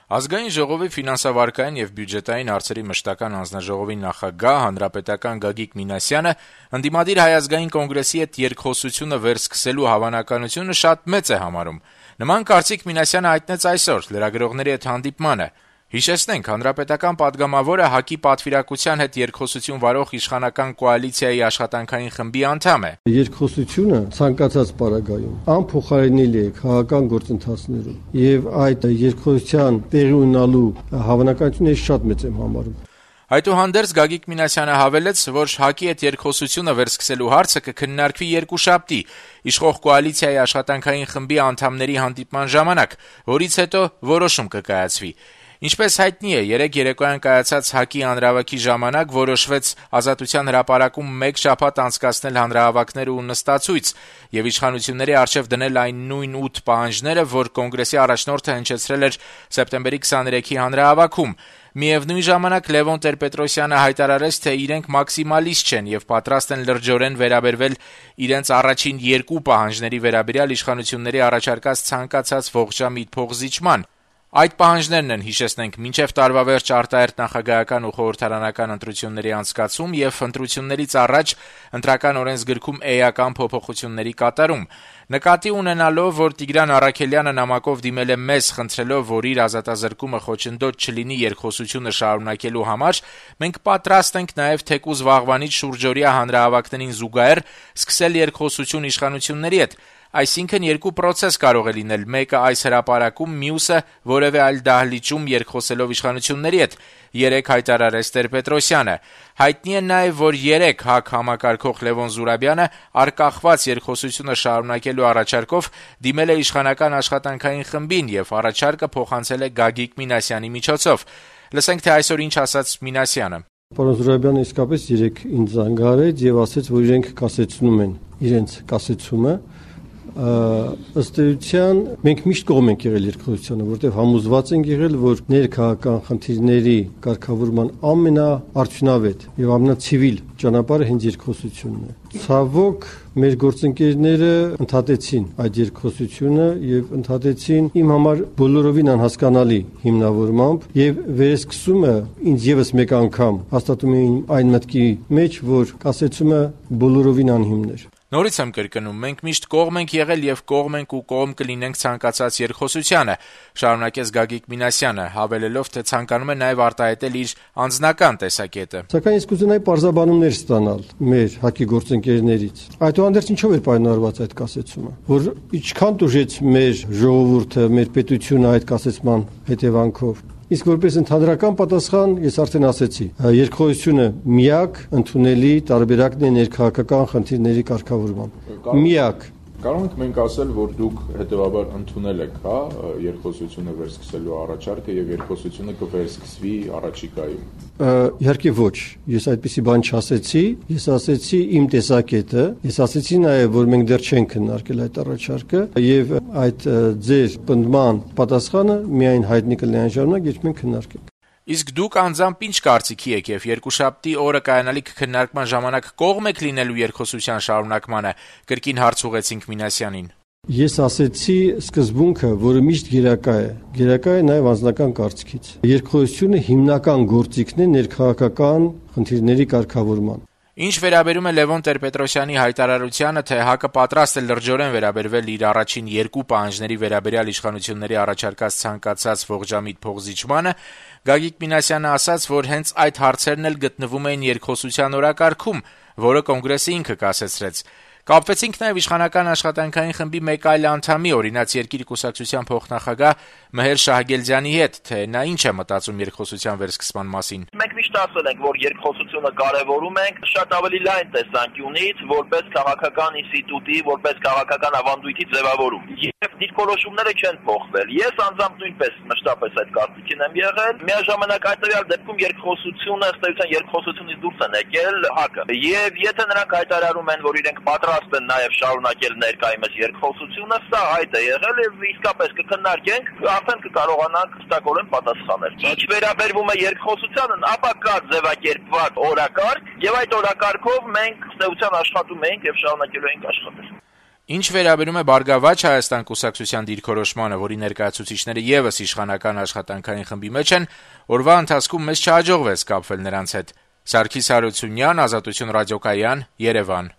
Ազգային ժողովի ֆինանսավարկային եւ բյուջետային հարցերի մշտական հանձնաժողովի նախագահ հանրապետական Գագիկ Մինասյանը ընդդիմադիր Հայ ազգային կոնգրեսի հետ երկխոսությունը վերսկսելու հավանականությունը շատ մեծ է համարում։ Նման կարծիք Մինասյանը հայտնեց այսօր լրագրողների հետ հանդիպմանը։ Հիշեցնենք, հանրապետական падգամավորը ՀԱԿ-ի պատվիրակության հետ երկխոսություն վարող իշխանական կոալիցիայի աշխատանքային խմբի անդամ է։ Երկխոսությունը ցանկացած պարագայում անփոխարինելի է քաղաքական գործընթացներում եւ այդ երկխոսության տեղի ունենալու հավանականությունը շատ մեծ եմ համարում։ Այդուհանդերձ Գագիկ Մինասյանը հավելեց, որ ՀԱԿ-ի հետ երկխոսությունը վերսկսելու հարցը կքննարկվի երկուշաբթի իշխող կոալիցիայի աշխատանքային խմբի անդամների հանդիպման ժամանակ, որից հետո որոշում կկայացվի։ Ինչպես հայտնի է, երեկ երեկոյան կայացած ՀԱԿ-ի հանրահավաքի ժամանակ որոշվեց Ազատության հրապարակում մեկ շաբաթ անցկացնել հանրահավաքներ ու նստացույց եւ իշխանությունների առջեւ դնել այն նույն 8 պահանջները, որ կոնգրեսի առաջնորդը հնչեցրել էր սեպտեմբերի 23-ի հանրահավաքում։ Միևնույն ժամանակ Լևոն Տեր-Պետրոսյանը հայտարարեց, թե իրենք մաքսիմալիստ չեն եւ պատրաստ են լրջորեն վերաբերվել իրենց առաջին երկու պահանջների վերաբերյալ իշխանությունների առաջարկած ցանկացած ողջամիտ փոխզիջման։ Այդ պահանջներն են, հիշեցնենք, մինչև տարվա վերջ արտահերթ նախագահական ու խորհրդարանական ընտրությունների անցկացում եւ ընտրություններից առաջ ընտրական օրենսգրքում էական փոփոխությունների կատարում։ Նկատի ունենալով, որ Տիգրան Առաքելյանը նամակով դիմել է մեզ, խնդրելով, որ իր ազատազրկումը խոչընդոտ չլինի երկխոսությունը շարունակելու համար, մենք պատրաստ ենք նաեւ թեկուզ վաղվանից շուրջօրյա հանրահավաքներին զուգահեռ սկսել երկխոսություն իշխանությունների հետ։ Այսինքն երկու պրոցես կարող է լինել, մեկը այս հրապարակում, մյուսը որևէ այլ դահլիճում երկխոսելով իշխանությունների հետ, երեկ հայտարարեց Տեր-Պետրոսյանը։ Հայտնի է նաև, որ երեկ ՀԱԿ համակարգող Լևոն Զուրաբյանը արկախված երկխոսությունը շարունակելու առաջարկով դիմել է իշխանական աշխատանքային խմբին եւ առաջարկը փոխանցել է Գագիկ Մինասյանի միջոցով։ Լսենք, թե այսօր ինչ ասաց Մինասյանը։ Պարոն Զուրաբյանը իսկապես երեկ ինձ զանգարեց եւ ասաց, որ իրենք կասեցնում են իրենց կասեցումը։ Ըստ էության մենք միշտ կողմ ենք եղել երկխոսությանը, որտեղ համոզված ենք եղել, որ ներքաղաքական խնդիրների կարգավորման ամենաարդյունավետ եւ ամենացիվիլ ճանապարհը հենց երկխոսությունն է։ Ցավոք մեր գործընկերները ընդհատեցին այդ երկխոսությունը եւ ընդհատեցին իմ համար բոլորովին անհասկանալի հիմնավորմամբ եւ վերեսկսումը ինձ եւս մեկ անգամ հաստատում է այն մտքի մեջ, որ կասեցումը բոլորովին անհիմն էր։ Նորից եմ կրկնում, մենք միշտ կողմ ենք եղել եւ կողմ ենք ու կողմ կլինենք ցանկացած երկխոսությանը, շարունակեց Գագիկ Մինասյանը, հավելելով, թե ցանկանում է նաեւ արտահայտել իր անձնական տեսակետը։ Սակայն ես կուզենայի պարզաբանումներ ստանալ մեր ՀԱԿ-ի գործընկերներից։ Այդուհանդերձ ինչով էր պայմանավորված այդ կասեցումը, որ ինչքան տուժեց մեր ժողովուրդը, մեր պետությունը այդ կասեցման հետևանքով։ Իսկ որպես ընդհանրական պատասխան ես արդեն ասեցի, երկխոսությունը միակ ընդունելի տարբերակն է ներքաղաքական խնդիրների կարգավորման։ Միակ։ Կարող ենք մենք ասել, որ դուք հետեւաբար ընդունել եք, երկխոսությունը վերսկսելու առաջարկը եւ երկխոսությունը կվերսկսվի առաջիկայում։ Իհարկե ոչ, ես այդպիսի բան չասեցի, ես ասեցի իմ տեսակետը, ես ասեցի նաեւ, որ մենք դեռ չենք քննարկել այդ առաջարկը եւ այդ ձեր պնդման պատասխանը միայն հայտնի կլինի այն ժամանակ, երբ մենք քննարկենք։ Իսկ դուք անձամբ ինչ կարծիքի եք եւ երկուշաբթի օրը կայանալիք քննարկման ժամանակ կողմ եք լինելու երկխոսության շարունակմանը, կրկին հարց ուղեցինք Մինասյանին։ Ես ասեցի սկզբունքը, որը միշտ գերակա է նաեւ անձնական կարծիքից։ Երկխոսությունը հիմնական գործիքն է ներքաղաքական խնդիրների կարգավորման։ Ինչ վերաբերում է Լևոն Տեր-Պետրոսյանի հայտարարությանը, թե ՀԱԿ-ը պատրաստ է լրջորեն վերաբերվել իր առաջին երկու պահանջների վերաբերյալ իշխանությունների առաջարկած ցանկացած ողջամիտ փոխզիջմանը, Գագիկ Մինասյանը ասաց, որ հենց այդ հարցերն էլ գտնվում էին երկխոսության օրակարգում, որը կոնգրեսը ինքը կասեցրեց։ Կապվեցինք նաև իշխանական աշխատանքային խմբի մեկ այլ անդամի, Օրինաց երկիր կուսակցության փոխնախագահ Մհեր Շահգելձյանի հետ, թե նա ինչ է մտածում երկխոսության վերսկսման մասին։ Մենք միշտ ասել ենք, որ երկխոսությունը կարևորում ենք շատ ավելի լայն տեսանկյունից, որպես քաղաքական ինստիտուտի, որպես քաղաքական ավանդույթի ձևավորում։ Եվ դիրքորոշումները չեն փոխվել։ Ես անձամբ նույնպես մշտապես այդ կարծիքին եմ եղել։ Միաժամանակ այդ դեպքում երկխոսությունը, ըստ էության երկխոսությունից դուրս են եկել ՀԱԿ-ը։ Եվ եթե նրանք հայտարարում են, որ իրենք պատրաստ են նաև շարունակել ներկայումս երկխոսությունը, սա այդ է եղել եւ իսկապես կքննարկենք, արդեն կկարողանանք հստակորեն պատասխանել։ Ինչ վերաբերվում է երկխոսությանն, ապա կա ձևակերպված օրակարգ եւ այդ օրակարգով մենք ըստ էության աշխատում ենք եւ շարունակելու ենք աշխատել։ Ինչ վերաբերում է Բարգավաճ Հայաստան կուսակցության դիրքորոշմանը, որի ներկայացուցիչները եւս իշխանական աշխատանքային խմբի մեջ են, օրվա ընթացքում մեզ չհաջողվեց կապվել նրանց հետ։ Սարգիս Հարությունյան, Ազատություն ռադիոկայան, Երևան։